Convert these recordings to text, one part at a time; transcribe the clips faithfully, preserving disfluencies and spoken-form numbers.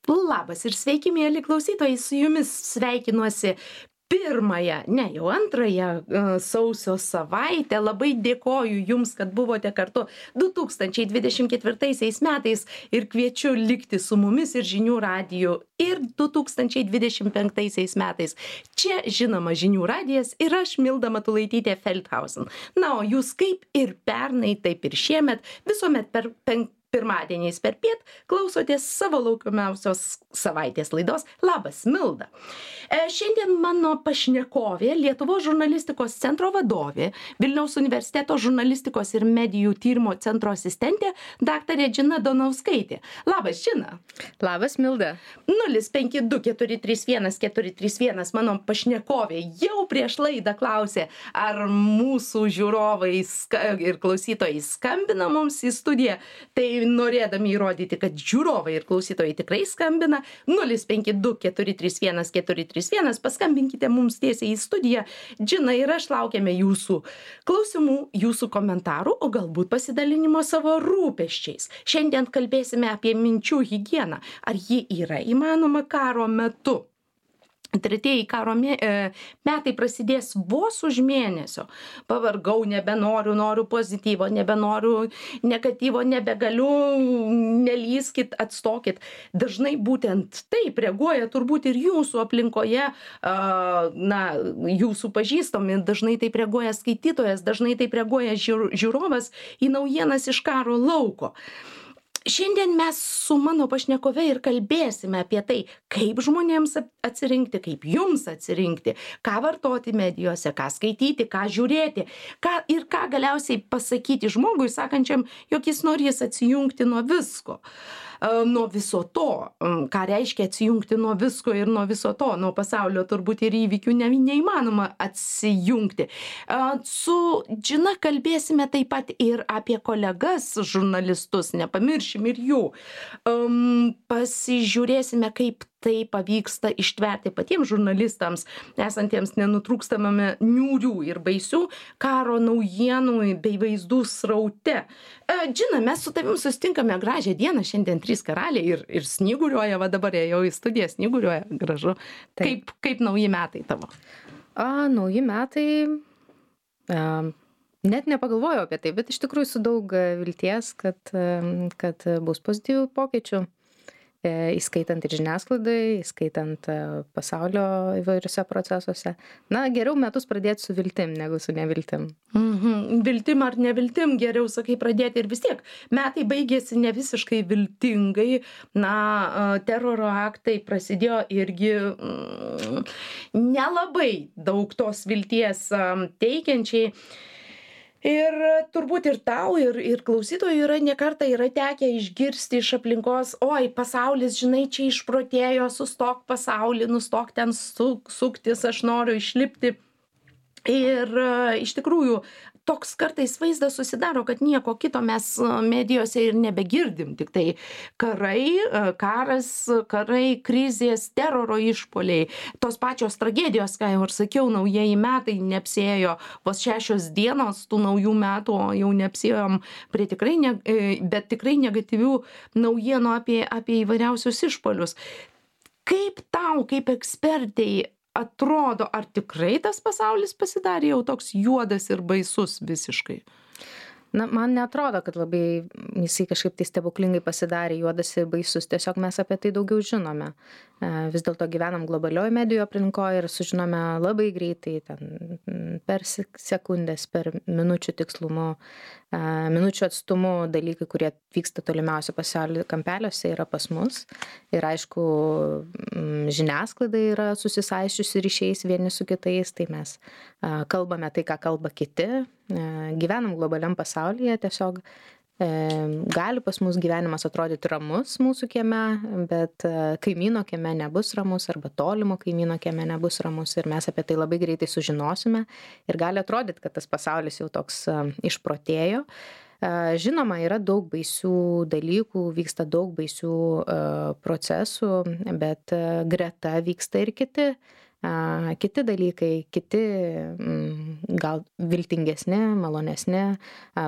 Labas ir sveiki, mėly klausytojai, su jumis sveikinuosi pirmąją, ne jau antrąją uh, sausio savaitę. Labai dėkoju jums, kad buvote kartu du tūkstančiai dvidešimt ketvirtaisiais metais ir kviečiu likti su mumis ir žinių radiju ir du tūkstančiai dvidešimt penktaisiais metais. Čia žinoma žinių radijas ir aš Milda Matulaitytė Feldhausen. Na, o jūs kaip ir pernai, taip ir šiemet visuomet per penk pirmadieniais per piet klausotės savo laukiamiausios savaitės laidos Labas, Milda. E, šiandien mano pašnekovė, Lietuvos žurnalistikos centro vadovė, Vilniaus universiteto žurnalistikos ir medijų tyrimo centro asistentė, daktarė Džina Donauskaitė. Labas, Džina. Labas, Milda. nulis penki du keturi trys vienas keturi trys vienas mano pašnekovė jau prieš laidą klausė, ar mūsų žiūrovai ir klausytojai skambina mums į studiją. Tai norėdami įrodyti, kad žiūrovai ir klausytojai tikrai skambina, nulis penki du keturi trys vienas keturi trys vienas, paskambinkite mums tiesiai į studiją. Džina ir aš laukiame jūsų klausimų, jūsų komentarų, o galbūt pasidalinimo savo rūpesčiais. Šiandien kalbėsime apie minčių higieną. Ar ji yra įmanoma karo metu? Tretieji karo metai prasidės vos už mėnesio. Pavargau, nebenoriu, noriu pozityvo, nebenoriu negatyvo, nebegaliu, nelyskit, atstokit. Dažnai būtent taip reaguoja turbūt ir jūsų aplinkoje, na, jūsų pažįstami, dažnai taip reaguoja skaitytojas, dažnai taip reaguoja žiūrovas į naujienas iš karo lauko. Šiandien mes su mano pašnekove ir kalbėsime apie tai, kaip žmonėms atsirinkti, kaip jums atsirinkti, ką vartoti medijose, ką skaityti, ką žiūrėti, ką ir ką galiausiai pasakyti žmogui, sakančiam, jog jis norės atsijungti nuo visko. Nuo viso to, ką reiškia atsijungti nuo visko ir nuo viso to, nuo pasaulio turbūt ir įvykių ne, neįmanoma atsijungti. Su Džina kalbėsime taip pat ir apie kolegas žurnalistus, nepamiršim ir jų. Pasižiūrėsime, kaip tai pavyksta ištverti patiems žurnalistams, esantiems nenutrūkstamame niūrių ir baisių karo naujienų bei vaizdų sraute. Džina, mes su tavim susitinkame gražią dieną, šiandien trys karaliai ir, ir snyguriuoja, va dabar jau į studiją snyguriuoja, gražu. Kaip, kaip nauji metai tavo? A, nauji metai, a, net nepagalvojau apie tai, bet iš tikrųjų su daug vilties, kad, kad bus pozityvių pokyčių. Įskaitant ir žiniasklaidai, įskaitant pasaulio įvairiuose procesuose. Na, geriau metus pradėti su viltim, negu su neviltim. Mhm. Viltim ar neviltim, geriau, sakai, pradėti ir vis tiek. Metai baigėsi ne visiškai viltingai. Na, teroro aktai prasidėjo irgi mm, nelabai daug tos vilties teikiančiai. Ir turbūt ir tau, ir, ir klausytojų yra ne kartą yra tekę išgirsti iš aplinkos, oi, pasaulis, žinai, čia išprotėjo, sustok pasaulį, nustok ten su, suktis, aš noriu išlipti. Ir iš tikrųjų, toks kartais vaizdas susidaro, kad nieko kito mes medijose ir nebegirdim, tik tai karai, karas, karai, krizės, teroro išpuoliai, tos pačios tragedijos, ką jau ir sakiau, naujieji metai neapsėjo, vos šešios dienos tų naujų metų, o jau neapsėjom prie tikrai, ne, bet tikrai negatyvių naujienų apie, apie įvairiausius išpuolius. Kaip tau, kaip ekspertai, atrodo, ar tikrai tas pasaulis pasidarė jau toks juodas ir baisus visiškai? Na, man neatrodo, kad labai jisai kažkaip tai stebuklingai pasidarė juodas ir baisus. Tiesiog mes apie tai daugiau žinome. Vis dėlto gyvenam globalioje medijų aplinkoje ir sužinome labai greitai, ten, per sekundės, per minučių tikslumu, minučių atstumu dalykai, kurie vyksta tolimiausio pasaulio kampeliuose, yra pas mus. Ir aišku, žiniasklaida yra susisaiščiusi ryšiais vieni su kitais, tai mes kalbame tai, ką kalba kiti. Gyvenam globaliam pasaulyje, tiesiog e, gali pas mus gyvenimas atrodyti ramus mūsų kieme, bet kaimyno kieme nebus ramus arba tolimo kaimyno kieme nebus ramus ir mes apie tai labai greitai sužinosime ir gali atrodyti, kad tas pasaulis jau toks e, išprotėjo. E, žinoma, yra daug baisių dalykų, vyksta daug baisių e, procesų, bet e, greta vyksta ir kiti kiti dalykai, kiti gal viltingesni, malonesni,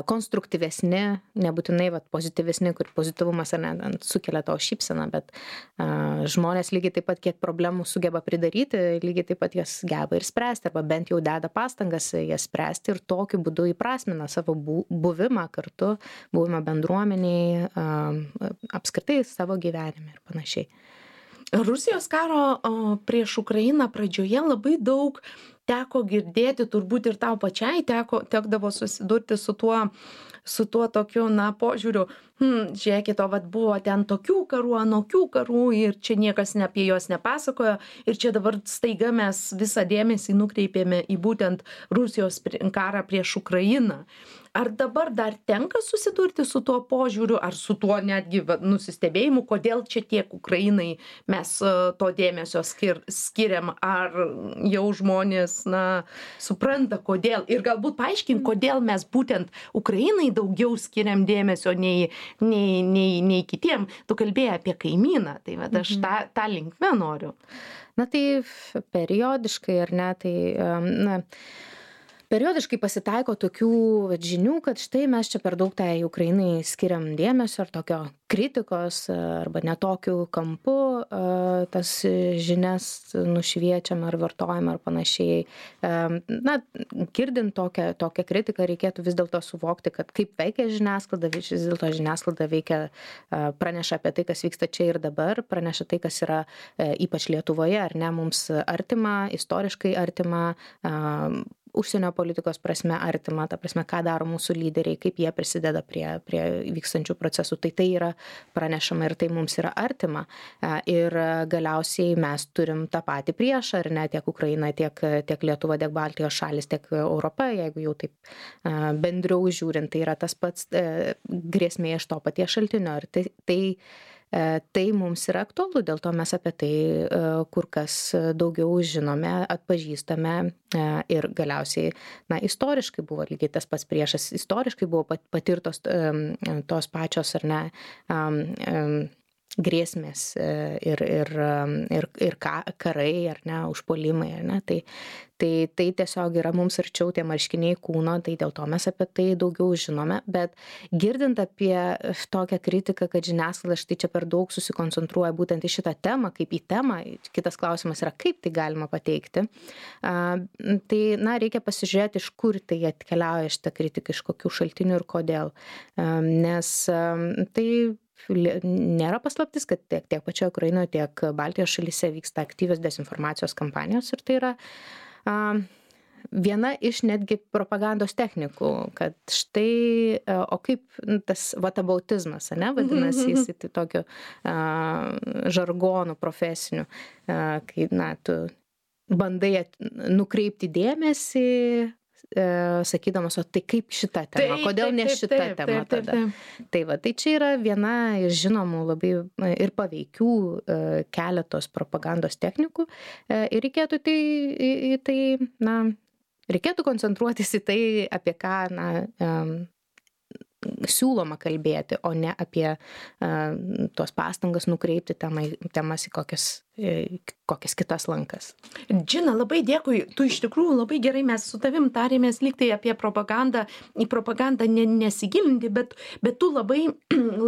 konstruktyvesni, nebūtinai vat, pozityvesni, kur pozityvumas ar ne sukelia tavo šypseną, bet žmonės lygiai taip pat, kiek problemų sugeba pridaryti, lygiai taip pat jas geba ir spręsti, arba bent jau deda pastangas jas spręsti ir tokiu būdu įprasmina savo buvimą kartu, buvimą bendruomeniai, apskritai savo gyvenime ir panašiai. Rusijos karo prieš Ukrainą pradžioje labai daug teko girdėti, turbūt ir tau pačiai teko, tekdavo susidurti su tuo, su tuo tokiu, na, požiūriu, hm, žiūrėkit, o vat buvo ten tokių karų, anokių karų ir čia niekas ne apie juos nepasakojo ir čia dabar staiga mes visą dėmesį nukreipėme į būtent Rusijos karą prieš Ukrainą. Ar dabar dar tenka susidurti su tuo požiūriu, ar su tuo netgi nusistebėjimu, kodėl čia tiek Ukrainai mes to dėmesio skir, skiriam, ar jau žmonės, na, supranta, kodėl, ir galbūt paaiškink, kodėl mes būtent Ukrainai daugiau skiriam dėmesio nei, nei, nei, nei kitiem. Tu kalbėjai apie kaimyną, tai va, aš tą, tą linkmę noriu. Na tai periodiškai, ar ne, tai, na, periodiškai pasitaiko tokių vat, žinių, kad štai mes čia per daug tai Ukrainai skiriam dėmesio ar tokio kritikos arba netokiu kampu tas žinias nušviečiam ar vartojam ar panašiai. Na, girdint tokią, tokią kritiką reikėtų vis dėlto suvokti, kad kaip veikia žiniasklaida, vis dėlto žiniasklaida veikia, praneša apie tai, kas vyksta čia ir dabar, praneša tai, kas yra ypač Lietuvoje, ar ne, mums artima, istoriškai artima, užsienio politikos prasme artima, ta prasme, ką daro mūsų lyderiai, kaip jie prisideda prie, prie vykstančių procesų. Tai tai yra pranešama ir tai mums yra artima. Ir galiausiai mes turim tą patį priešą, ar ne, tiek Ukraina, tiek, tiek Lietuva, tiek Baltijos šalis, tiek Europa, jeigu jau taip bendriau žiūrint, tai yra tas pats grėsmė iš to paties šaltinio. Ir tai, tai Tai mums yra aktualu, dėl to mes apie tai kur kas daugiau žinome, atpažįstame ir galiausiai, na, istoriškai buvo lygiai tas pats priešas, istoriškai buvo patirtos tos pačios, ar ne, grėsmės ir, ir, ir, ir karai, ar ne, užpuolimai, ar ne, tai, tai, tai tiesiog yra mums arčiau tie marškiniai kūno, tai dėl to mes apie tai daugiau žinome, bet girdint apie tokią kritiką, kad žiniasklaida štai čia per daug susikoncentruoja būtent į šitą temą, kaip į temą, kitas klausimas yra, kaip tai galima pateikti, tai, na, reikia pasižiūrėti, iš kur tai atkeliauja šitą kritiką, iš kokių šaltinių ir kodėl, nes tai nėra paslaptis, kad tiek, tiek pačioje Ukrainoje, tiek Baltijos šalyse vyksta aktyvios dezinformacijos kampanijos ir tai yra a, viena iš netgi propagandos technikų, kad štai, o kaip tas vatabautizmas, ne, vadinasi, jis tai tokiu a, žargonu profesiniu, a, kai, na, tu bandai nukreipti dėmesį, sakydamas, o tai kaip šita tema, taip, kodėl taip, ne taip, šita taip, tema taip, taip, tada. Taip. Tai va, tai čia yra viena iš žinomų labai ir paveikių keletos propagandos technikų ir reikėtų tai, į tai, na, reikėtų koncentruotis į tai, apie ką, na, siūloma kalbėti, o ne apie uh, tuos pastangas nukreipti temai, temas į kokias, kokias kitas lankas. Džina, labai dėkui. Tu iš tikrųjų labai gerai, mes su tavim tarėmės lygtai apie propagandą, į propagandą ne, nesigilinti, bet, bet tu labai,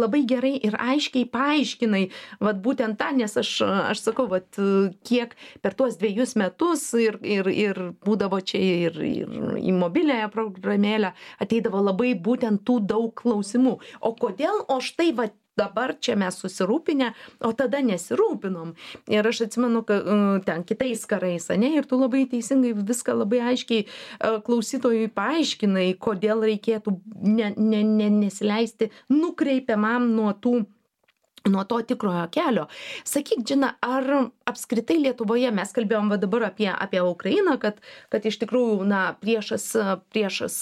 labai gerai ir aiškiai paaiškinai, vat būtent tą, nes aš, aš sakau, vat kiek per tuos dviejus metus ir, ir, ir būdavo čia ir, ir į mobiliąją programėlę ateidavo labai būtent tų daug klausimų. O kodėl, o štai vat dabar čia mes susirūpinę, o tada nesirūpinom. Ir aš atsimenu, kad ten kitais karais, ne, ir tu labai teisingai viską labai aiškiai klausytojui paaiškinai, kodėl reikėtų ne, ne, ne, nesileisti nukreipiamam nuo tų nuo to tikrojo kelio. Sakyk, Džina, ar apskritai Lietuvoje mes kalbėjom va dabar apie, apie Ukrainą, kad, kad iš tikrųjų, na, priešas, priešas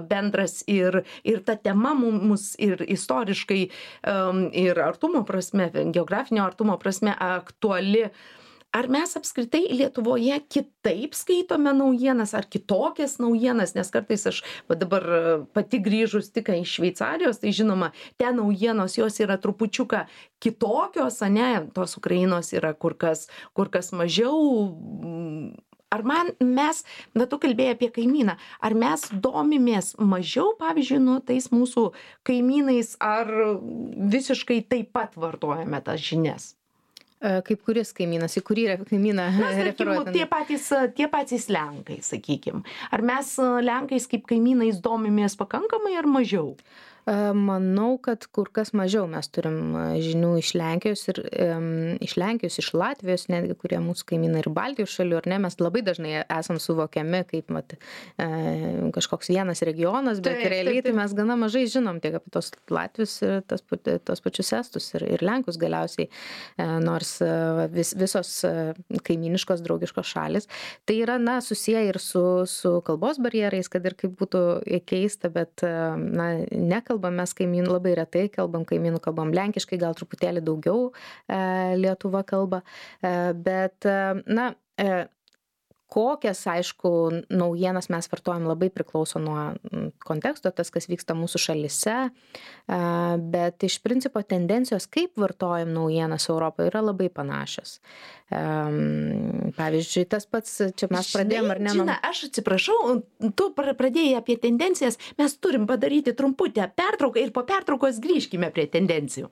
bendras ir, ir ta tema mums ir istoriškai um, ir artumo prasme, geografinio artumo prasme aktuali. ar mes apskritai Lietuvoje kitaip skaitome naujienas ar kitokias naujienas, nes kartais aš va dabar pati grįžus tik iš Šveicarijos, tai žinoma, ten naujienos jos yra trupučiuką kitokios, ane, tos Ukrainos yra kur kas, kur kas mažiau. Ar man mes, na tu kalbėjai apie kaimyną, ar mes domimės mažiau, pavyzdžiui, nu tais mūsų kaimynais, ar visiškai taip pat vartojame tas žinias? Kaip kuris kaimynas, į kurį kaimyną referuojate? Tie patys, tie patys Lenkai, sakykim. Ar mes Lenkais kaip kaimynais domimės pakankamai ar mažiau? Manau, kad kur kas mažiau mes turim žinių iš Lenkijos ir um, iš Lenkijos, iš Latvijos, netgi kurie mūsų kaimynai ir Baltijos šalių, ar ne, mes labai dažnai esam suvokiami kaip mat, e, kažkoks vienas regionas, bet taip, realiai taip, taip. Tai mes gana mažai žinom tiek apie tos Latvius ir tos, tos pačius Estus ir, ir Lenkus galiausiai, e, nors vis, visos kaiminiškos, draugiškos šalis. Tai yra, na, susiję ir su, su kalbos barjerais, kad ir kaip būtų keista, bet, na, nekalbame. Kalbam mes kaimynų, labai retai kalbam kaimynų, kalbam lenkiškai, gal truputėlį daugiau e, Lietuva kalba, e, bet, e, na, e, kokias, aišku, naujienas mes vartojam labai priklauso nuo konteksto, tas, kas vyksta mūsų šalyse, e, bet iš principo tendencijos, kaip vartojam naujienas Europoje, yra labai panašios. E, pavyzdžiui, tas pats, čia mes pradėjom ar ne? Žinai, aš atsiprašau, tu pradėjai apie tendencijas, mes turim padaryti trumputę pertrauką ir po pertraukos grįžkime prie tendencijų.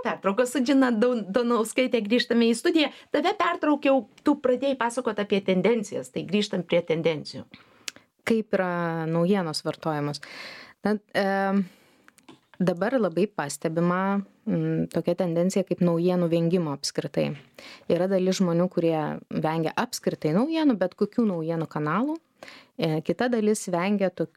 Pertraukos su Džina Donauskaitė grįžtame į studiją. Tave pertraukiau, tu pradėjai pasakoti apie tendencijas, tai grįžtam prie tendencijų. Kaip yra naujienos vartojamos? Na, e, dabar labai pastebima m, tokia tendencija kaip naujienų vengimo apskritai. Yra dalis žmonių, kurie vengia apskritai naujienų, bet kokių naujienų kanalų. Kita dalis vengia tok,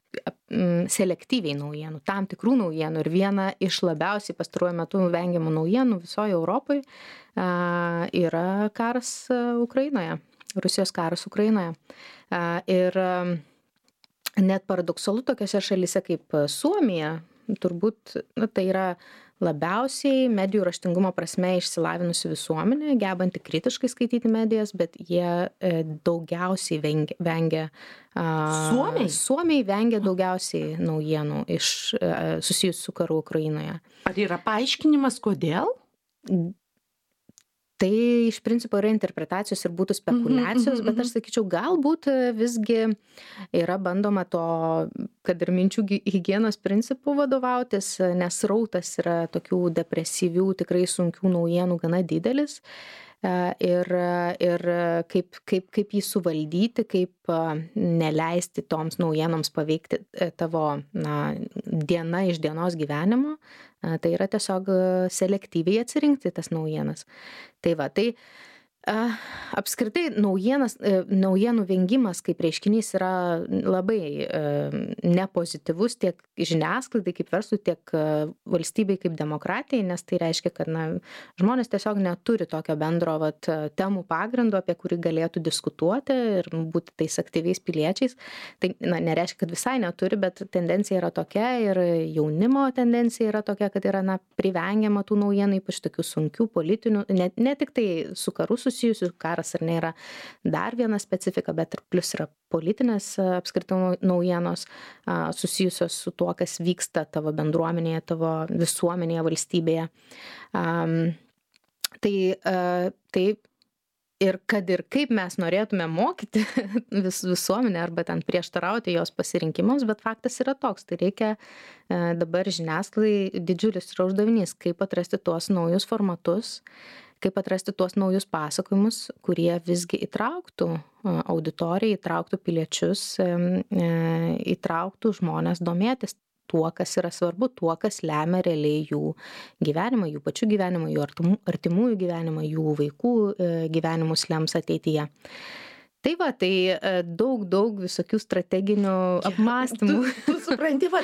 selektyviai naujienų, tam tikrų naujienų. Ir viena iš labiausiai pastaruoju metu vengiamų naujienų visoje Europoje yra karas Ukrainoje, Rusijos karas Ukrainoje. Ir net paradoksalu tokiose šalyse kaip Suomija, turbūt na, tai yra labiausiai medijų raštingumo prasme išsilavinusi visuomenė, gebanti kritiškai skaityti medijas, bet jie e, daugiausiai vengia, vengia Suomiai? Suomiai vengia daugiausiai naujienų iš, e, susijusių su karu Ukrainoje. Ar yra paaiškinimas, kodėl? Tai iš principo yra interpretacijos ir būtų spekulacijos, bet aš sakyčiau, galbūt visgi yra bandoma to, kad ir minčių higienos principų vadovautis, nes srautas yra tokių depresyvių, tikrai sunkių naujienų gana didelis. Ir, ir kaip, kaip, kaip jį suvaldyti, kaip neleisti toms naujienoms paveikti tavo na, diena iš dienos gyvenimo, tai yra tiesiog selektyviai atsirinkti tas naujienas. Tai va, tai apskritai naujienas, naujienų vengimas kaip reiškinys yra labai nepozityvus tiek žiniasklaidai kaip verslui, tiek valstybei kaip demokratijai, nes tai reiškia, kad na, žmonės tiesiog neturi tokio bendro vat, temų pagrindo, apie kurį galėtų diskutuoti ir būti tais aktyviais piliečiais. Tai na, nereiškia, kad visai neturi, bet tendencija yra tokia ir jaunimo tendencija yra tokia, kad yra na, privengiama tų naujienų, ypač tokių sunkių politinių, ne, ne tik tai su karu susijusių, karas ar nėra dar viena specifika, bet ir plus yra politinės apskritai naujienos susijusios su tuo, kas vyksta tavo bendruomenėje, tavo visuomenėje, valstybėje. Um, tai, uh, tai ir kad ir kaip mes norėtume mokyti vis, visuomenę arba ten prieštarauti jos pasirinkimams, bet faktas yra toks, tai reikia uh, dabar žiniasklaidai didžiulis yra uždavinys, kaip atrasti tuos naujus formatus, kaip atrasti tuos naujus pasakojimus, kurie visgi įtrauktų auditoriją, įtrauktų piliečius, įtrauktų žmonės domėtis tuo, kas yra svarbu, tuo, kas lemia realiai jų gyvenimą, jų pačių gyvenimą, jų artimų, artimųjų gyvenimą, jų vaikų gyvenimus lems ateityje. Tai va, tai daug, daug visokių strateginių apmąstymų. Tu, tu supranti, va,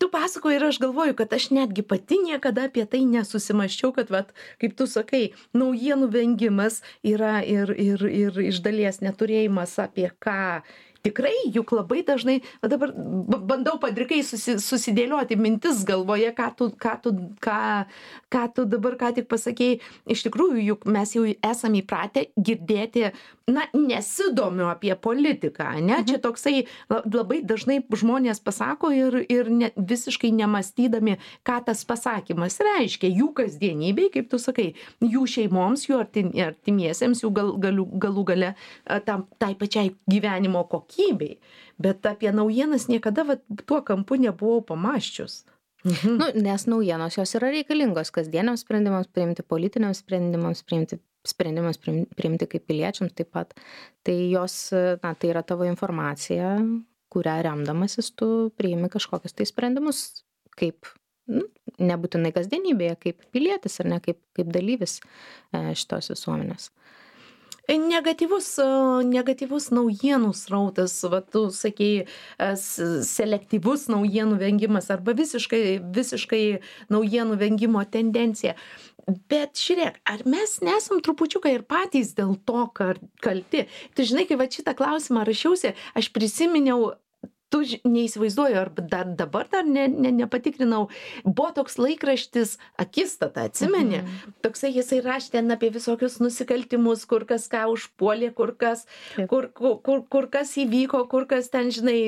tu pasakoji ir aš galvoju, kad aš netgi pati niekada apie tai nesusimaščiau, kad, va, kaip tu sakai, naujienų vengimas yra ir, ir, ir iš dalies neturėjimas apie ką tikrai, juk labai dažnai, va dabar b- bandau padrikai susi, susidėlioti mintis galvoje, ką tu, ką, tu, ką, ką tu dabar ką tik pasakėjai. Iš tikrųjų, juk mes jau esame įpratę girdėti, na, nesidomiu apie politiką, ne? Čia toksai la- labai dažnai žmonės pasako ir, ir ne, visiškai nemastydami, ką tas pasakymas reiškia jų kasdienybei, kaip tu sakai, jų šeimoms, jų artim, artimiesiems, jų gal, galių, galų gale a, tam, tai pačiai gyvenimo kokybei. Bet apie naujienas niekada va, tuo kampu nebuvau pamaščius. Mhm. Nu, nes naujienos jos yra reikalingos kasdieniams sprendimams priimti, politiniams sprendimams priimti, sprendimas priim- priimti kaip piliečiams taip pat. Tai jos, na, tai yra tavo informacija, kurią remdamasis tu priimi kažkokius tai sprendimus, kaip, nu, nebūtinai kasdienybėje, kaip pilietis ar ne, kaip, kaip dalyvis e, šitos visuomenės. Negatyvus, a, negatyvus naujienų srautas, va, tu sakei, a, s- selektyvus naujienų vengimas arba visiškai, visiškai naujienų vengimo tendencija. Bet žiūrėk, ar mes nesam trupučiuką ir patys dėl to kar- kalti? Tu žinai, kai va šitą klausimą rašiausi, aš prisiminiau, tu ž- neįsivaizduoju, ar dar dabar dar ne, ne, nepatikrinau, buvo toks laikraštis Akistata, atsimeni? Mhm. Toksai jisai rašė ten apie visokius nusikaltimus, kur kas ką užpuolė, kur kas, Taip. kur, kur, kur, kur kas įvyko, kur kas ten, žinai,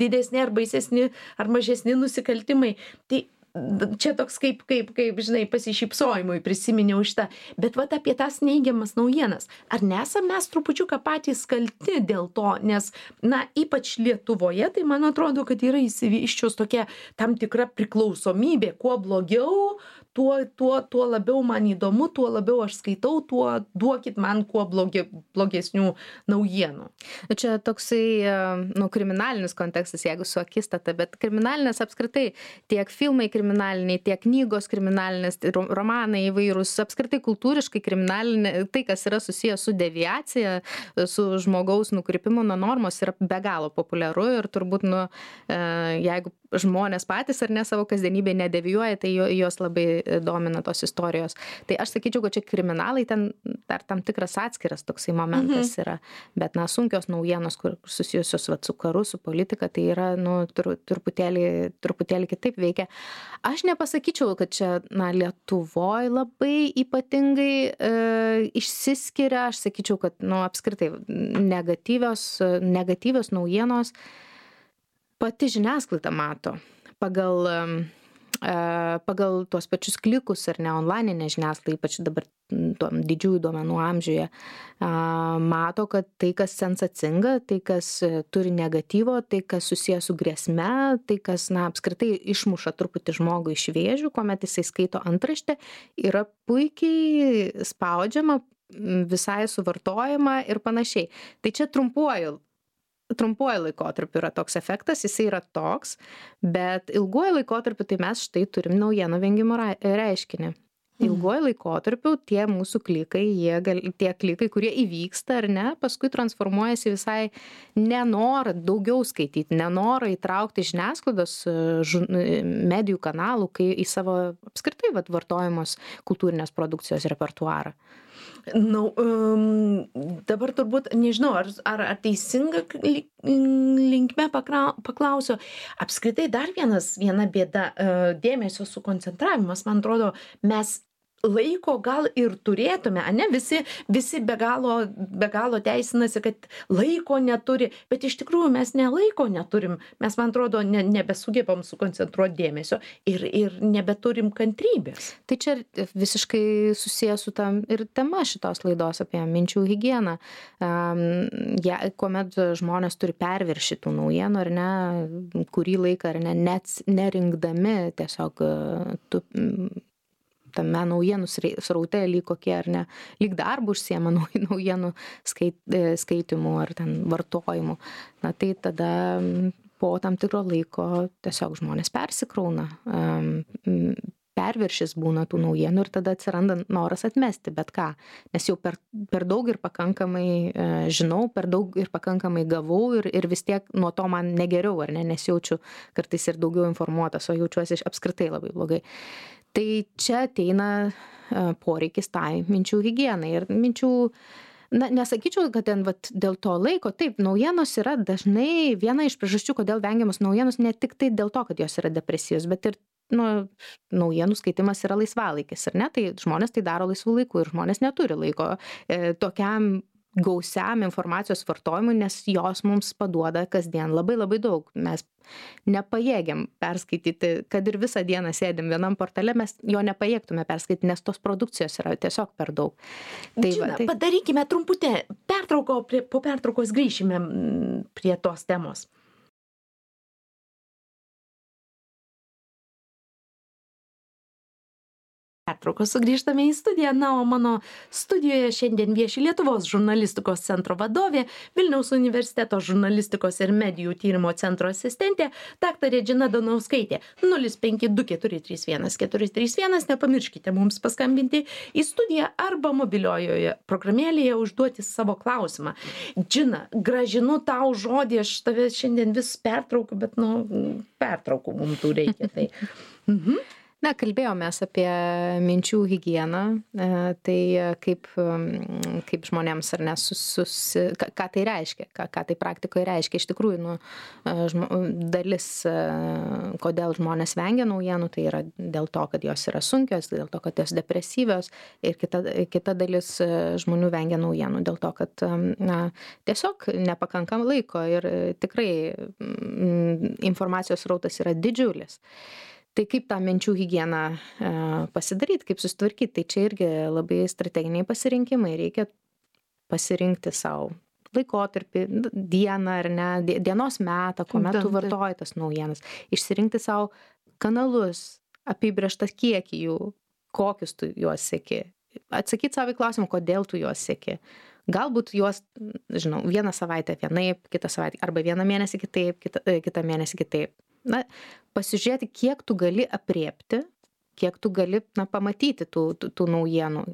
didesni ar baisesni ar mažesni nusikaltimai. Tai d- čia toks kaip, kaip, kaip, žinai, pasišypsojimui prisiminiau šitą. Bet vat apie tas neigiamas naujienas. Ar nesam mes trupučiuką patys kalti dėl to? Nes, na, ypač Lietuvoje, tai man atrodo, kad yra įsivyščius tokia tam tikra priklausomybė. Kuo blogiau, tuo, tuo, tuo labiau man įdomu, tuo labiau aš skaitau, tuo duokit man kuo blogi, blogesnių naujienų. Nu, čia toksai, e, nu, kriminalinis kontekstas, jeigu su Akistata, bet kriminalinės apskritai tiek filmai kriminaliniai, tiek knygos kriminalinės, tai ro- romanai įvairūs, apskritai kultūriškai kriminalinė, tai, kas yra susijęs su deviacija, su žmogaus nukrypimu nuo normos, yra be galo populiaru ir turbūt, nu, e, jeigu žmonės patys ar ne savo kasdienybėje nedevijuoja, tai jo- juos labai domina tos istorijos. Tai aš sakyčiau, kad čia kriminalai ten dar tam tikras atskiras toksai momentas yra, bet, na, sunkios naujienos, kur susijusios vat, su karu, su politika, tai yra, nu, tur, truputėlį, truputėlį kitaip veikia. Aš nepasakyčiau, kad čia, na, Lietuvoje labai ypatingai e, išsiskiria, aš sakyčiau, kad, nu, apskritai negatyvios, negatyvios naujienos pati žiniasklaida mato pagal, em, e, pagal tuos pačius klikus ar ne onlininė žiniasklaida, ypač dabar m, tuom didžiųjų duomenų amžiuje, a, mato, kad tai, kas sensacinga, tai, kas e, turi negatyvo, tai, kas susijęs su grėsme, tai, kas, na, apskritai išmuša truputį žmogų iš vėžių, kuomet jisai skaito antraštę, yra puikiai spaudžiama, m, visai suvartojama ir panašiai. Tai čia trumpuoju trumpuoju laikotarpiu yra toks efektas, jisai yra toks, bet ilguoju laikotarpiu tai mes štai turim naujienų vengimo ra- reiškinį. Ilguoju laikotarpiu tie mūsų klikai, jie gal, tie klikai, kurie įvyksta ar ne, paskui transformuojasi visai nenorą daugiau skaityti, nenorą įtraukti žiniasklaidos e, žu- e, medijų kanalų kai į savo apskritai vat, vartojamos kultūrinės produkcijos repertuarą. Na, um, dabar turbūt nežinau, ar, ar, ar teisinga li- linkme pakra- paklausiu. Apskritai dar vienas, viena bėda, uh, dėmesio sukoncentravimas, man atrodo, mes laiko gal ir turėtume, ane, visi, visi be galo, be galo teisinasi, kad laiko neturi, bet iš tikrųjų mes ne laiko neturim, mes, man atrodo, ne, nebesugebam sukoncentruoti dėmesio ir, ir nebeturim kantrybės. Tai čia visiškai susijęs su tam ir tema šitos laidos apie minčių higieną. Um, ja, kuomet žmonės turi perviršį tų naujienų ar ne, kurį laiką ar ne, net nerinkdami tiesiog uh, tu, mm, tame naujienų srei- sraute lyg kokie ar ne, lyg darbų užsiema nau- naujienų skait, e, skaitimu ar ten vartojimu. Na tai tada mm, po tam tikro laiko tiesiog žmonės persikrauna. Um, mm, perviršis būna tų naujienų ir tada atsiranda noras atmesti bet ką, nes jau per, per daug ir pakankamai e, žinau, per daug ir pakankamai gavau ir, ir vis tiek nuo to man negeriau, ar ne, nesijaučiu kartais ir daugiau informuotas, o jaučiuosi apskritai labai blogai. Tai čia ateina e, poreikis tai minčių higienai ir minčių Na, nesakyčiau, kad ten vat, dėl to laiko, taip, naujienos yra dažnai viena iš priežasčių, kodėl vengiamos naujienos, ne tik tai dėl to, kad jos yra depresijos, bet ir nu, naujienų skaitimas yra laisvalaikis, ar ne? Tai žmonės tai daro laisvų laikų ir žmonės neturi laiko e, tokiam gausiam informacijos vartojimui, nes jos mums paduoda kasdien labai labai daug. Mes nepajėgiam perskaityti, kad ir visą dieną sėdim vienam portale, mes jo nepajėgtume perskaityti, nes tos produkcijos yra tiesiog per daug. Tai Žina, va, tai... padarykime trumputę pertrauką, prie, po pertraukos grįšime prie tos temos. Pertraukos sugrįžtame į studiją, na, o mano studijoje šiandien vieši Lietuvos žurnalistikos centro vadovė, Vilniaus universiteto žurnalistikos ir medijų tyrimo centro asistentė, daktarė Džina Donauskaitė. nulis penki du keturi trys vienas keturi trys vienas, nepamirškite mums paskambinti į studiją arba mobiliojoje programėlėje užduoti savo klausimą. Džina, gražinu tau žodį, aš tave šiandien vis pertraukiu, bet, nu, pertraukų mums tų reikia. Tai. Mhm. Na, kalbėjomės apie minčių higieną, tai kaip, kaip žmonėms ar ne, sus, sus, ką, ką tai reiškia, ką, ką tai praktikoje reiškia. Iš tikrųjų, nu, žmo, dalis, kodėl žmonės vengia naujienų, tai yra dėl to, kad jos yra sunkios, dėl to, kad jos depresyvios, ir kita, kita dalis žmonių vengia naujienų dėl to, kad na, tiesiog nepakankam laiko ir tikrai informacijos srautas yra didžiulis. Tai kaip tą minčių higieną e, pasidaryti, kaip susitvarkyti, tai čia irgi labai strateginiai pasirinkimai. Reikia pasirinkti savo laikotarpį, dieną ar ne, dienos metą, kuomet tu vartoji tas naujienas. Išsirinkti savo kanalus, apibrėžtą kiekį jų, kokius tu juos seki. Atsakyti savo į klausimą, kodėl tu juos seki. Galbūt juos, žinau, vieną savaitę vienaip, kitą savaitę, arba vieną mėnesį kitaip, kitą, kitą mėnesį kitaip. Na, pasižiūrėti, kiek tu gali apriepti, kiek tu gali na, pamatyti tų, tų, tų naujienų.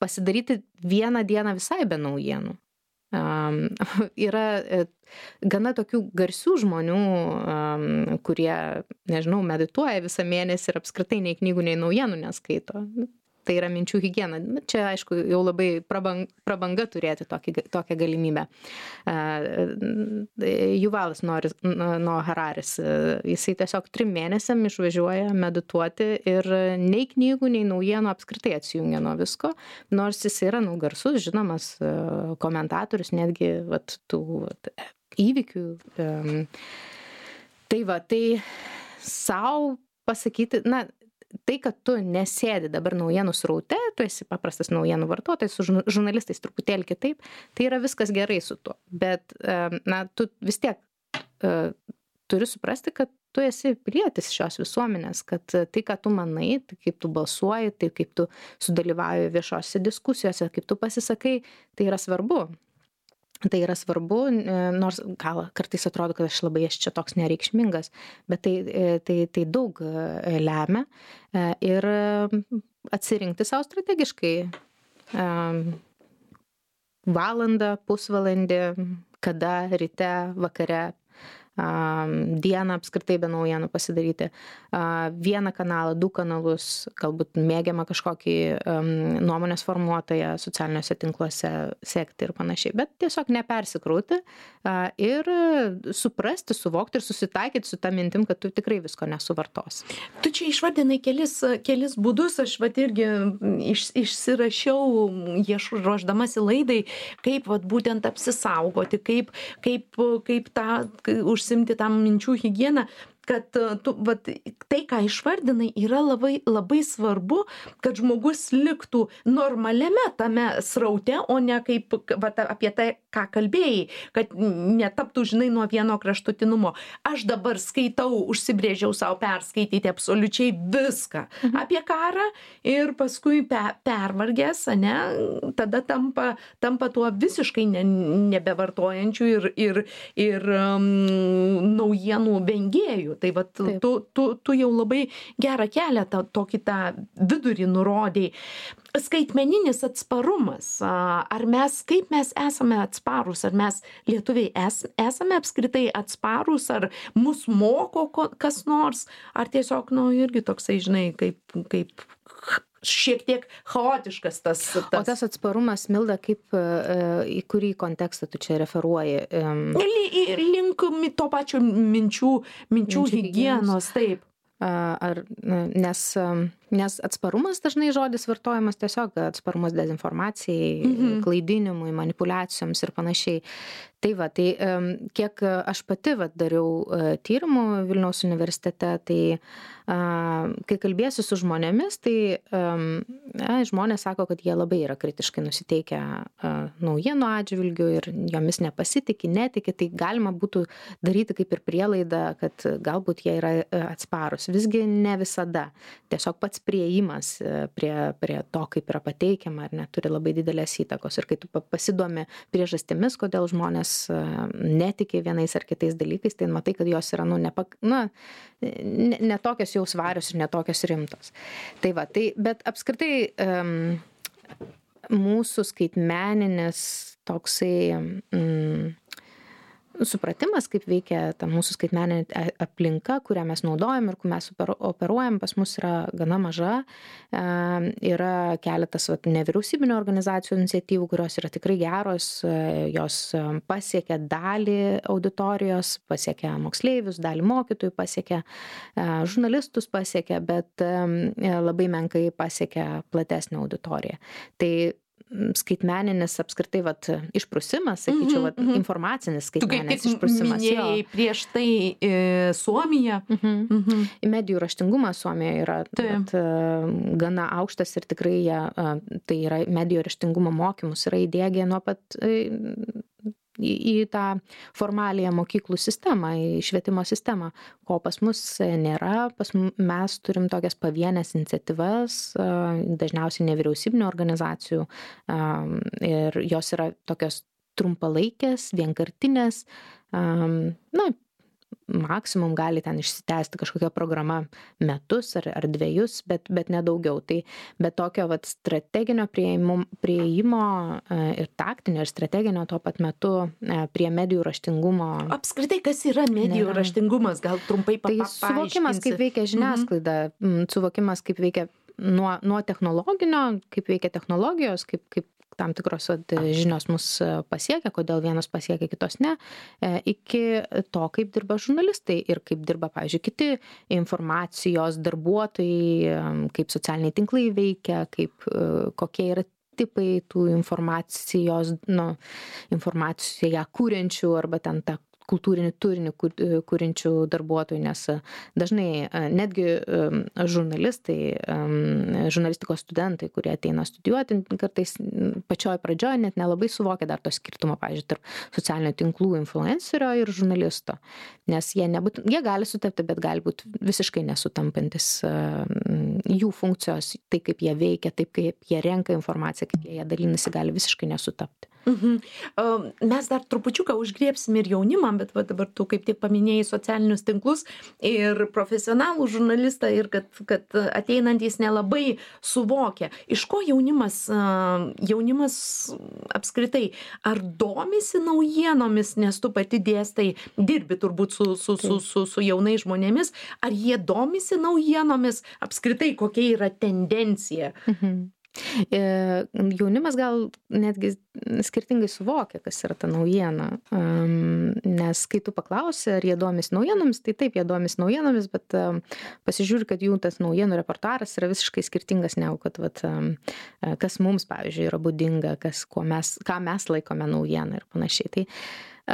Pasidaryti vieną dieną visai be naujienų. Um, yra e, gana tokių garsių žmonių, um, kurie, nežinau, medituoja visą mėnesį ir apskritai nei knygų, nei naujienų neskaito. Tai yra minčių higiena. Čia, aišku, jau labai prabang, prabanga turėti tokį, tokią galimybę. Uh, Juvalas Noah Hararis, uh, jisai tiesiog trim mėnesiam išvažiuoja medituoti ir nei knygų, nei naujienų apskritai atsijungia nuo visko, nors jis yra nu, garsus, žinomas uh, komentatorius, netgi vat, tų vat, įvykių. Um, tai va, tai sau pasakyti, na, tai, kad tu nesėdi dabar naujienų sraute, tu esi paprastas naujienų vartotojas, su žurnalistais truputėlį kitaip, tai yra viskas gerai su tuo. Bet, na, tu vis tiek uh, turi suprasti, kad tu esi pilietis šios visuomenės, kad tai, ką tu manai, tai kaip tu balsuoji, tai kaip tu sudalyvauji viešose diskusijose, kaip tu pasisakai, tai yra svarbu. Tai yra svarbu, nors gal kartais atrodo, kad aš labai esu čia toks nereikšmingas, bet tai, tai, tai daug lemia ir atsirinkti savo strategiškai valandą, pusvalandį, kada, ryte, vakare, dieną apskritai be naujienų pasidaryti, vieną kanalą, du kanalus, galbūt mėgiamą kažkokį nuomonės formuotoją socialiniuose tinkluose sekti ir panašiai, bet tiesiog nepersikrauti ir suprasti, suvokti ir susitaikyti su ta mintim, kad tu tikrai visko nesuvartosi. Tu čia išvardinai kelis, kelis būdus, aš vat irgi iš, išsirašiau, ruošdamasi laidai, kaip vat būtent apsisaugoti, kaip, kaip, kaip tą užsimti tam minčių higieną, kad tu, vat, tai, ką išvardinai, yra labai, labai svarbu, kad žmogus liktų normaliame tame sraute, o ne kaip vat, apie tai, ką kalbėjai, kad netaptų, žinai, nuo vieno kraštutinumo. Aš dabar skaitau, užsibrėžiau savo perskaityti absoliučiai viską mhm. apie karą ir paskui pe, pervargęs, ne, tada tampa, tampa tuo visiškai ne, nebevartojančiu ir, ir, ir um, naujienų vengėjų. Tai vat, tu, tu, tu jau labai gerą kelią tą, tokį tą vidurį nurodėjai. Skaitmeninis atsparumas. Ar mes, kaip mes esame atsparūs? Ar mes lietuviai es, esame apskritai atsparūs? Ar mus moko kas nors? Ar tiesiog, nu, irgi toksai, žinai, kaip, kaip šiek tiek chaotiškas tas. tas... O tas atsparumas, Milda, kaip, į kurį kontekstą tu čia referuoji? Link to pačio minčių, minčių higienos, taip. Ar, nes, nes atsparumas dažnai žodis vartojamas tiesiog atsparumas dezinformacijai, mhm. klaidinimui, manipulacijoms ir panašiai. Tai va, tai kiek aš pati va, dariau tyrimų Vilniaus universitete, tai kai kalbėsiu su žmonėmis, tai ja, žmonės sako, kad jie labai yra kritiškai nusiteikę naujienų atžvilgių ir jomis nepasitikė, netikė, tai galima būtų daryti kaip ir prielaidą, kad galbūt jie yra atsparus. Visgi ne visada. Tiesiog pats priėjimas prie, prie to, kaip yra pateikiama, ar ne, turi labai didelės įtakos. Ir kai tu pasidomi priežastimis, kodėl žmonės netikė vienais ar kitais dalykais, tai matai, kad jos yra, nu, nepak, na, ne, ne tokios jau svarios ir ne tokios rimtos. Tai va, tai, bet apskritai um, mūsų skaitmeninis toksai um, supratimas, kaip veikia ta mūsų skaitmeninė aplinka, kurią mes naudojam ir kur mes operuojam, pas mus yra gana maža. Yra keletas vat, nevyriausybinio organizacijų iniciatyvų, kurios yra tikrai geros, jos pasiekia dalį auditorijos, pasiekia moksleivius, dalį mokytojų, pasiekia žurnalistus, pasiekia, bet labai menkai pasiekia platesnę auditoriją. Tai skaitmeninis apskritai vat, išprusimas, sakyčiau, vat, informacinis skaitmeninis išprusimas. Tu kaip minėjai prieš tai e, Suomija. Mhm. Mhm. Medijų raštingumas Suomijoje yra vat, gana aukštas ir tikrai jie, tai yra medijų raštingumo mokymus yra įdiegę nuo pat e, į, į tą formaliją mokyklų sistemą, į švietimo sistemą, ko pas mus nėra. Pas mes turim tokias pavienės iniciatyvas, dažniausiai nevyriausybinių organizacijų, ir jos yra tokios trumpalaikės, vienkartinės, na, maksimum gali ten išsitęsti kažkokia programa metus ar, ar dviejus, bet, bet nedaugiau. Tai bet tokio vat, strateginio prieimo, prieimo ir taktinio ir strateginio tuo pat metu prie medijų raštingumo. Apskritai, kas yra medijų nėra. Raštingumas? Gal trumpai paaiškinsi? Tai suvokimas, kaip veikia žiniasklaida, mhm. suvokimas, kaip veikia nuo, nuo technologinio, kaip veikia technologijos, kaip, kaip tam tikros žinios mus pasiekia, kodėl vienos pasiekia, kitos ne, iki to, kaip dirba žurnalistai ir kaip dirba, pavyzdžiui, kiti informacijos darbuotojai, kaip socialiniai tinklai veikia, kaip, kokie yra tipai tų informacijos, nu, informaciją kūrenčių arba ten tą kultūrinį turinį kūrinčių darbuotojų, nes dažnai netgi žurnalistai, žurnalistikos studentai, kurie ateina studijuoti, kartais pačioj pradžioj net nelabai suvokia dar to skirtumo, pavyzdžiui, tarp socialinių tinklų influencerio ir žurnalisto, nes jie, nebūt, jie gali sutapti, bet gali būti visiškai nesutampantis jų funkcijos, tai kaip jie veikia, taip kaip jie renka informaciją, kaip jie dalinasi, gali visiškai nesutapti. Mhm. Mes dar trupučiuką užgriebsim ir jaunimą, bet va, dabar tu kaip tik paminėjai socialinius tinklus ir profesionalų žurnalistą ir kad, kad ateinantys nelabai suvokia. Iš ko jaunimas, jaunimas apskritai, ar domisi naujienomis, nes tu pati dėstai, dirbi turbūt su, su, su, su, su jaunais žmonėmis, ar jie domisi naujienomis, apskritai kokia yra tendencija? Mhm. Jaunimas gal netgi skirtingai suvokia, kas yra ta naujiena, nes kai tu paklausi, ar jie domisi naujienomis, tai taip, jie domisi naujienomis, bet pasižiūri, kad jų tas naujienų reportaras yra visiškai skirtingas negu, kad vat, kas mums, pavyzdžiui, yra būdinga, kas, ko mes, ką mes laikome naujieną ir panašiai. Tai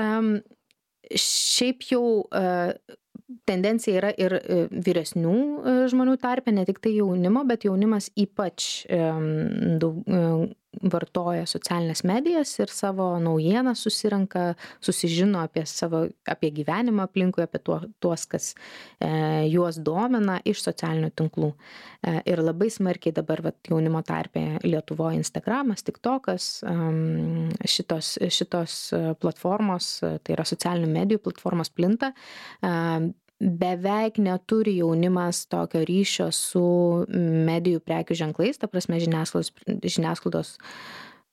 um, šiaip jau uh, tendencija yra ir vyresnių žmonių tarpe, ne tik tai jaunimo, bet jaunimas ypač daug, vartoja socialinės medijas ir savo naujieną susirenka, susižino apie savo, apie gyvenimą aplinkui, apie tuo, tuos, kas e, juos domina iš socialinių tinklų. E, ir labai smarkiai dabar vat, jaunimo tarpe Lietuvoje Instagramas, TikTokas, um, šitos, šitos platformos, tai yra socialinių medijų platformos plinta. Um, beveik neturi jaunimas tokio ryšio su medijų prekių ženklais, ta prasme žiniasklaidos, žiniasklaidos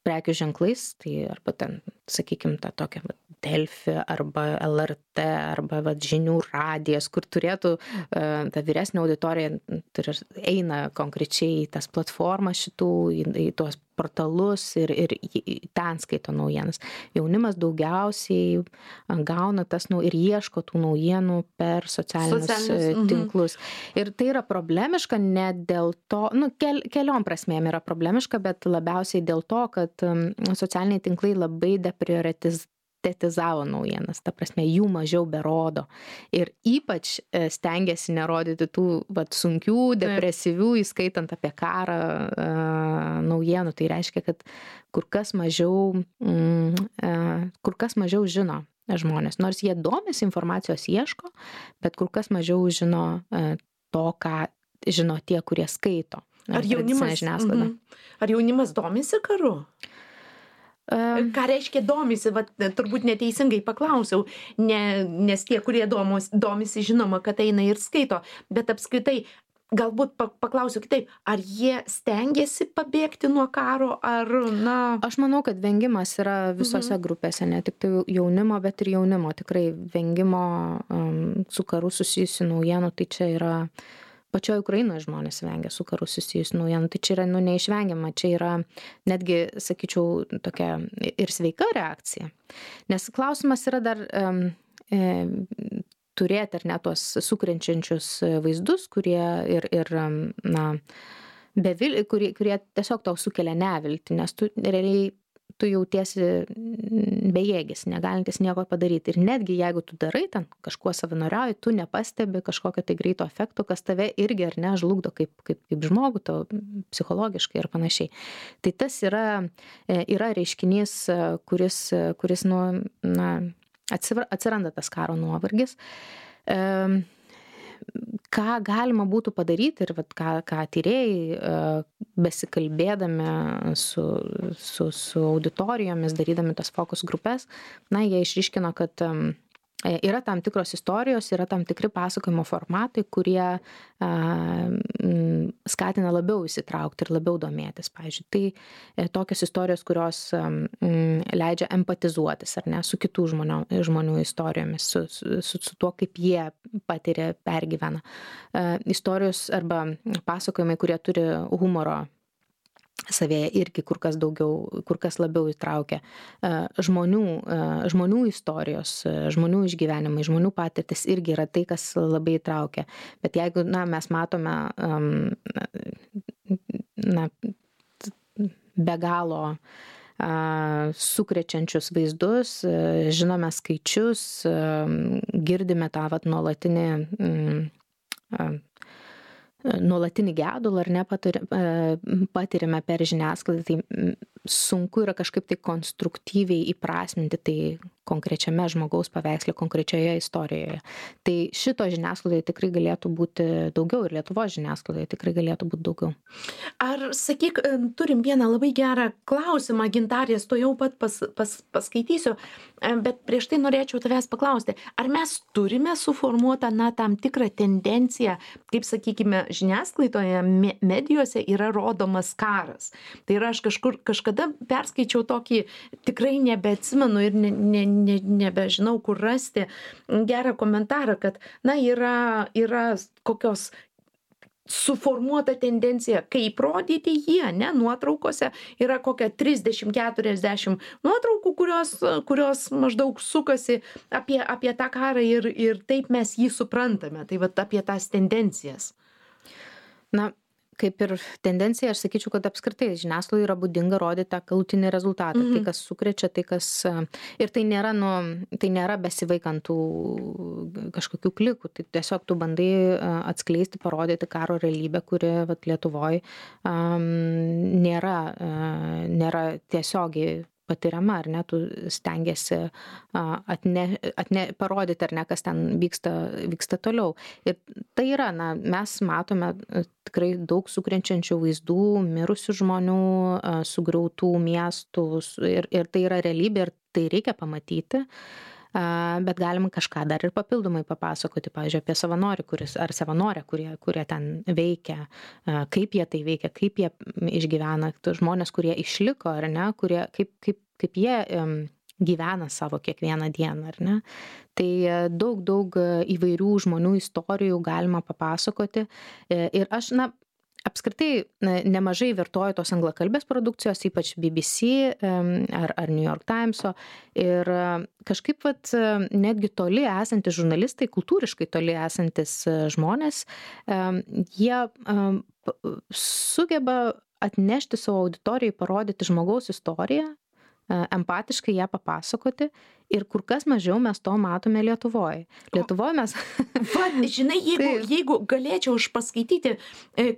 prekių ženklais, tai arba ten, sakykime, tą tokią vat, Delfi arba L R T arba vat, žinių radijas, kur turėtų uh, ta vyresnė auditorija turi, eina konkrečiai į tas platformas šitų, į, į tuos portalus ir, ir ten skaito naujienas. Jaunimas daugiausiai gauna tas nau, ir ieško tų naujienų per socialinius, socialinius tinklus. Mhm. Ir tai yra problemiška ne dėl to, nu, kel, keliom prasmėm yra problemiška, bet labiausiai dėl to, kad um, socialiniai tinklai labai deprioritiz tetizavo naujienas, ta prasme, jų mažiau berodo. Ir ypač stengiasi nerodyti tų vat, sunkių, depresyvių, įskaitant apie karą uh, naujienų. Tai reiškia, kad kur kas mažiau, mm, uh, kur kas mažiau žino žmonės. Nors jie domisi, informacijos ieško, bet kur kas mažiau žino uh, to, ką žino tie, kurie skaito. Ar jaunimas, mm, ar jaunimas domisi karu? Ką reiškia domisi, vat, turbūt neteisingai paklausiau, ne, nes tie, kurie domos, domisi, žinoma, kad eina ir skaito, bet apskritai, galbūt paklausiu kitaip, ar jie stengiasi pabėgti nuo karo, ar, na... Aš manau, kad vengimas yra visose mhm. grupėse, ne tik tai jaunimo, bet ir jaunimo, tikrai vengimo um, su karu susijusių naujienų, tai čia yra... Pačioje Ukrainoje žmonės vengia su karu susijusių naujienų, tai čia yra nu, neišvengiama, čia yra netgi, sakyčiau, tokia ir sveika reakcija. Nes klausimas yra dar um, e, turėti ar ne tuos sukrenčiančius vaizdus, kurie ir, ir na, bevil, kurie, kurie tiesiog tau sukelia neviltį, nes tu realiai tu jautiesi bejėgis, negalintis nieko padaryti. Ir netgi jeigu tu darai ten kažkuo savanoriauji, tu nepastebi kažkokio tai greito efekto, kas tave irgi ar ne žlugdo kaip, kaip, kaip žmogų, to psichologiškai ir panašiai. Tai tas yra, yra reiškinys, kuris, kuris nu, na, atsiranda tas karo nuovargis. Um, ką galima būtų padaryti ir vat, ką, ką tyrėjai besikalbėdami su, su, su auditorijomis, darydami tas fokus grupės, na, jie išryškino, kad yra tam tikros istorijos, yra tam tikri pasakojimo formatai, kurie a, m, skatina labiau įsitraukti ir labiau domėtis. Pavyzdžiui, tai e, tokios istorijos, kurios m, leidžia empatizuotis, ar ne, su kitų žmonių, žmonių istorijomis, su, su, su, su tuo, kaip jie patiria, pergyvena. E, istorijos arba pasakojimai, kurie turi humoro savėje irgi kur kas daugiau, kur kas labiau įtraukia žmonių, žmonių istorijos, žmonių išgyvenimai, žmonių patirtis irgi yra tai, kas labai įtraukia. Bet jeigu, na, mes matome na, be galo sukrečiančius vaizdus, žinome skaičius, girdime tą vat nuolatinį nuolatinį gedulą ar ne patiriame per žiniasklaidą, tai sunku yra kažkaip tai konstruktyviai įprasminti tai konkrečiame žmogaus paveiksle, konkrečioje istorijoje. Tai šito žiniasklaidoje tikrai galėtų būti daugiau ir Lietuvos žiniasklaidoje tikrai galėtų būti daugiau. Ar, sakyk, turim vieną labai gerą klausimą, Gintarės, to jau pat pas, pas, paskaitysiu, bet prieš tai norėčiau tavęs paklausti, ar mes turime suformuotą, na, tam tikrą tendenciją, kaip, sakykime, žiniasklaidoje, medijose yra rodomas karas. Tai yra, aš kažkur, kažkada perskaičiau tokį, tikrai nebeatsimenu ir ne, ne, ne, nebežinau, kur rasti gerą komentarą, kad, na, yra, yra kokios suformuota tendencija, kaip rodyti jie, ne, nuotraukose yra kokia trisdešimt keturiasdešimt nuotraukų, kurios, kurios maždaug sukasi apie, apie tą karą ir, ir taip mes jį suprantame, tai vat apie tas tendencijas. Na, kaip ir tendencija, aš sakyčiau, kad apskritai žiniasklaidai yra būdinga rodyti tą galutinį rezultatą, mm-hmm. tai kas sukrečia, tai kas... Ir tai nėra, nu, tai nėra besivaikantų kažkokių klikų, tai tiesiog tu bandai atskleisti, parodyti karo realybę, kuri vat, Lietuvoje um, nėra, uh, nėra tiesiogiai patiriama, ar ne, tu stengiasi atne, atne, parodyti, ar ne, kas ten vyksta, vyksta toliau. Ir tai yra, na, mes matome tikrai daug sukrenčiančių vaizdų, mirusių žmonių, sugriautų miestų ir, ir tai yra realybė ir tai reikia pamatyti. bet galima kažką dar ir papildomai papasakoti, pavyzdžiui, apie savanorį, kuris, ar savanorę, kurie, kurie ten veikia, kaip jie tai veikia, kaip jie išgyvena, žmonės, kurie išliko, ar ne, kurie, kaip, kaip, kaip jie um, gyvena savo kiekvieną dieną, ar ne. Tai daug, daug įvairių žmonių istorijų galima papasakoti ir aš, na, apskritai nemažai vartoju tos anglakalbės produkcijos, ypač B B C ar, ar New York Timeso ir kažkaip vat, netgi toli esantis žurnalistai, kultūriškai toli esantis žmonės, jie sugeba atnešti savo auditorijai, parodyti žmogaus istoriją, empatiškai ją papasakoti ir kur kas mažiau mes to matome Lietuvoje. Lietuvoje mes... Va, žinai, jeigu, jeigu galėčiau aš paskaityti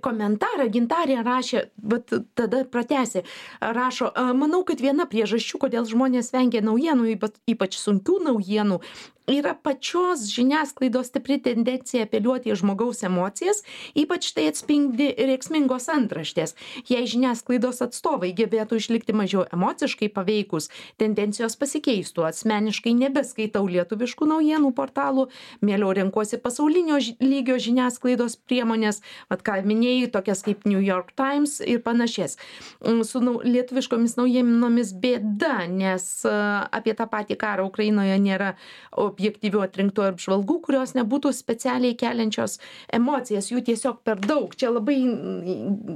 komentarą, Gintarė rašė, bet tada pratęsė, rašo, manau, kad viena priežasčių, kodėl žmonės vengia naujienų, ypač sunkių naujienų, yra pačios žiniasklaidos stipri tendencija apeliuoti į žmogaus emocijas, ypač tai atspindi rėksmingos antraštės. Jei žiniasklaidos atstovai gebėtų išlikti mažiau emociškai paveikus, tendencijos pasikeistų. Asmeniškai nebeskaitau lietuviškų naujienų portalų, mieliau renkuosi pasaulinio lygio žiniasklaidos priemonės, vat ką minėjai, tokias kaip New York Times ir panašias. Su lietuviškomis naujienomis bėda, nes apie tą patį karą Ukrainoje nėra objektyvių atrinktų apžvalgų, kurios nebūtų specialiai keliančios emocijas, jų tiesiog per daug. Čia labai,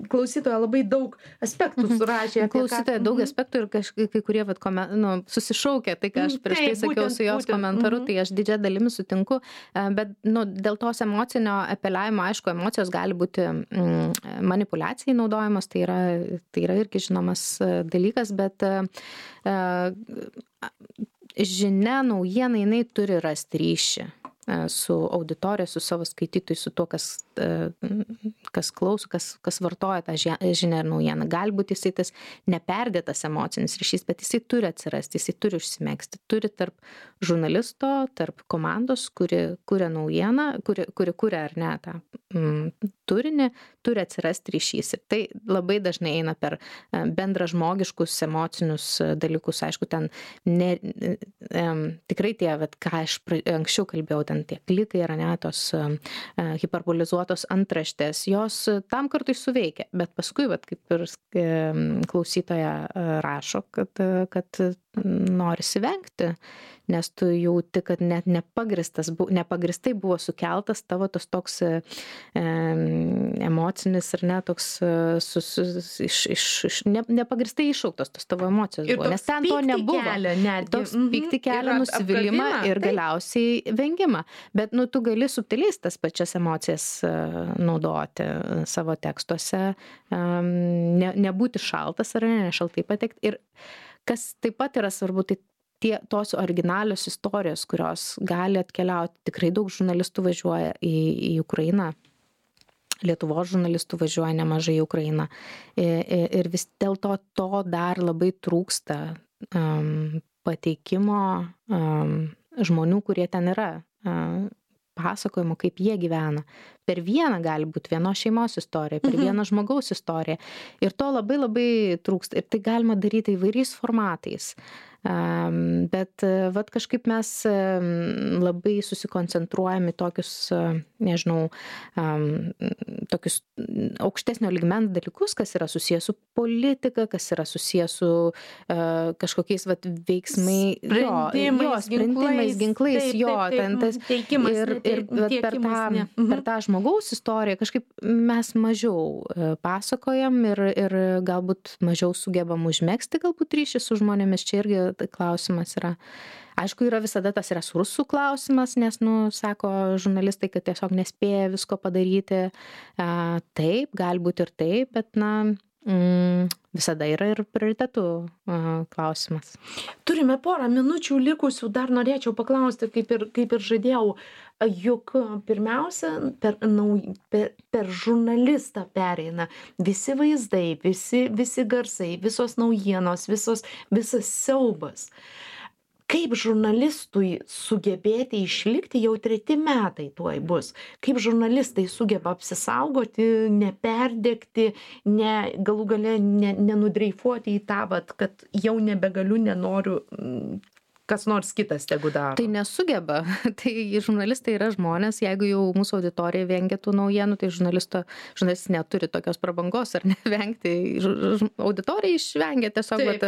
klausytoja labai daug aspektų surašė. Klausytoja ką... daug aspektų ir kažkai, kai kurie vat, komen, nu, susišaukia, tai ką aš prieš tai sakiau būtent, su jos būtent, komentaru, mm-hmm. tai aš didžią dalimi sutinku, bet nu, dėl tos emocinio apeliavimo, aišku, emocijos gali būti mm, manipulacijai naudojamos, tai yra, tai yra irgi žinomas dalykas, bet uh, žinia, naujiena, jinai turi rasti ryšį su auditorija, su savo skaitytojai, su tuo, kas, kas klauso, kas, kas vartoja tą žinią ir naujieną. Galbūt jisai tas neperdėtas emocinis ryšys, bet jisai turi atsirasti, jisai turi užsimegzti. Turi tarp žurnalisto, tarp komandos, kuri kuria naujieną, kuri, kuri kuria ar ne tą mm, turinį, turi atsirasti ryšys. Ir tai labai dažnai eina per bendražmogiškus emocinius dalykus. Aišku, ten ne, um, tikrai tie, vat, ką aš anksčiau kalbėjau, ten tie klikai yra ne tos uh, hiperbolizuotos antraštės, jos tam kartui suveikia, bet paskui, vat, kaip ir uh, klausytoja uh, rašo, kad, uh, kad norisi vengti, nes tu jauti, kad net nepagristas, nepagristai buvo sukeltas tavo tas toks e, emocinis ir ne toks su, su, iš, iš, iš, ne, nepagristai iššauktos tos tavo emocijos ir buvo, nes ten to nebuvo. Kelia, toks pykti kelia, nusivylimą ir galiausiai vengimą. Bet nu, tu gali subtiliai tas pačias emocijas uh, naudoti savo tekstuose, um, ne, nebūti šaltas ar ne, nešaltai patekti. Ir kas taip pat yra svarbu, tai tie, tos originalios istorijos, kurios gali atkeliauti. Tikrai daug žurnalistų važiuoja į, į Ukrainą. Lietuvos žurnalistų važiuoja nemažai į Ukrainą. Ir, ir vis dėlto to dar labai trūksta um, pateikimo um, žmonių, kurie ten yra. Um, pasakojimo, kaip jie gyvena. Per vieną gali būti vienos šeimos istorija, per mhm. vieną žmogaus istoriją. Ir to labai labai trūksta. Ir tai galima daryti įvairiais formatais. Um, bet vat kažkaip mes um, labai susikoncentruojame tokius, uh, nežinau, um, tokius aukštesnio lygmens dalykus, kas yra susijęs su politika, kas yra susijęs su uh, kažkokiais vat veiksmai, sprendimais, jo, jo, sprendimais ginklais, taip, jo, taip, taip, ten tas teikimas, ir, ir vat, per, tą, mhm. per tą žmogaus istoriją kažkaip mes mažiau uh, pasakojam ir, ir galbūt mažiau sugebam užmegzti galbūt ryšį su žmonėmis. Čia irgi klausimas yra. Aišku, yra visada tas resursų klausimas, nes, nu, sako žurnalistai, kad tiesiog nespėja visko padaryti. A, taip, galbūt ir taip, bet, na, mm, visada yra ir prioritetų a, klausimas. Turime porą minučių likusių, dar norėčiau paklausti, kaip ir, kaip ir žadėjau, juk pirmiausia, per, nau, per, per žurnalistą pereina visi vaizdai, visi, visi garsai, visos naujienos, visos, visas siaubas. Kaip žurnalistui sugebėti išlikti, jau treti metai tuoj bus, kaip žurnalistai sugeba apsisaugoti, neperdegti, ne, galų gale ne, nenudreifuoti į tą, vat, kad jau nebegaliu, nenoriu, kas nors kitas tegu daro. Tai nesugeba. Tai žurnalistai yra žmonės, jeigu jau mūsų auditorija vengia tų naujienų, tai žurnalisto, žurnalistas neturi tokios prabangos ar nevengti. Auditorija išvengia, tiesiog vat,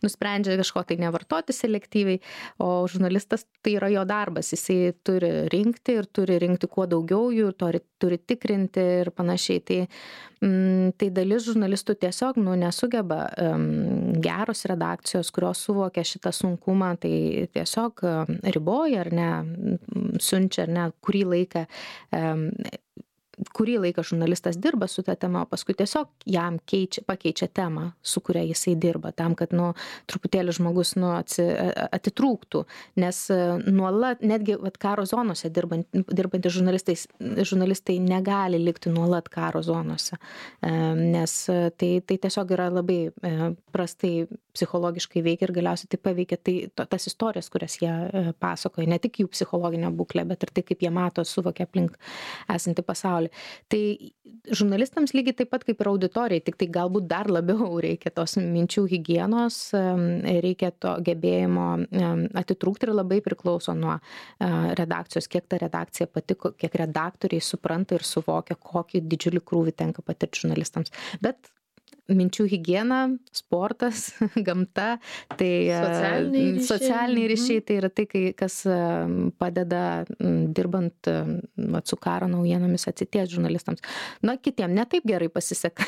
nusprendžia kažko tai nevartoti selektyviai, o žurnalistas tai yra jo darbas, jisai turi rinkti ir turi rinkti kuo daugiau jų, turi, turi tikrinti ir panašiai. Tai, mm, tai dalis žurnalistų tiesiog nu, nesugeba. Um, geros redakcijos, kurios suvokia šitą sunkumą, tai tiesiog riboja ar ne, siunčia ar ne, kurį laiką um, kurį laiką žurnalistas dirba su ta tema, o paskui tiesiog jam keičia, pakeičia temą, su kuria jisai dirba, tam, kad nu, truputėlį žmogus nu, atsi, atitrūktų, nes nuolat, netgi vat, karo zonose dirbant, dirbantys žurnalistai, žurnalistai negali likti nuolat karo zonose, nes tai, tai tiesiog yra labai prastai psichologiškai veikia ir galiausiai tai paveikia tai, to, tas istorijas, kurias jie pasakoja, ne tik jų psichologinę būklę, bet ir tai, kaip jie mato, suvokia aplink esantį pasaulį. Tai žurnalistams lygiai taip pat kaip ir auditorijai, tik tai galbūt dar labiau reikia tos minčių higienos, reikia to gebėjimo atitrūkti ir labai priklauso nuo redakcijos, kiek ta redakcija patiko, kiek redaktoriai supranta ir suvokia, kokį didžiulį krūvį tenka patirti žurnalistams. Bet minčių higiena, sportas, gamta, tai socialiniai ryšiai, socialiniai ryšiai tai yra tai, kas padeda dirbant vat, su karo naujienomis atsities žurnalistams. Na, kitiem netaip gerai pasiseka,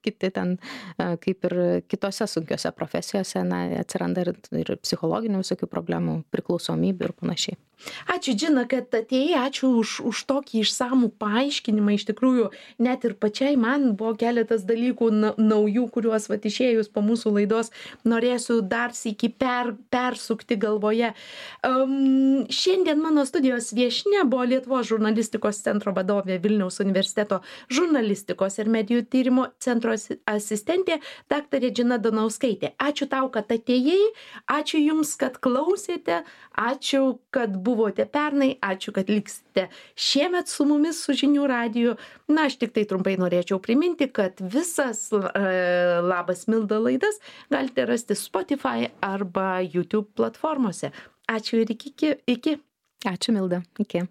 kiti ten, kaip ir kitose sunkiose profesijose, na, atsiranda ir, ir psichologinių visokių problemų, priklausomybių ir panašiai. Ačiū, Džina, kad atėjai, ačiū už, už tokį išsamų paaiškinimą. Iš tikrųjų, net ir pačiai man buvo keletas dalykų na, naujų, kuriuos vat, išėjus po mūsų laidos norėsiu dar sykį per, persukti galvoje. Um, šiandien mano studijos viešnia buvo Lietuvos žurnalistikos centro vadovė, Vilniaus universiteto žurnalistikos ir medijų tyrimo centro asistentė daktarė Džina Donauskaitė. Ačiū tau, kad atėjai, ačiū jums, kad klausėte, ačiū, kad buvote pernai, ačiū, kad liksite šiemet su mumis, su Žinių radiju. Na, aš tik tai trumpai norėčiau priminti, kad visas e, Labas Milda laidas galite rasti Spotify arba YouTube platformose. Ačiū ir iki. iki. Ačiū, Milda. Iki.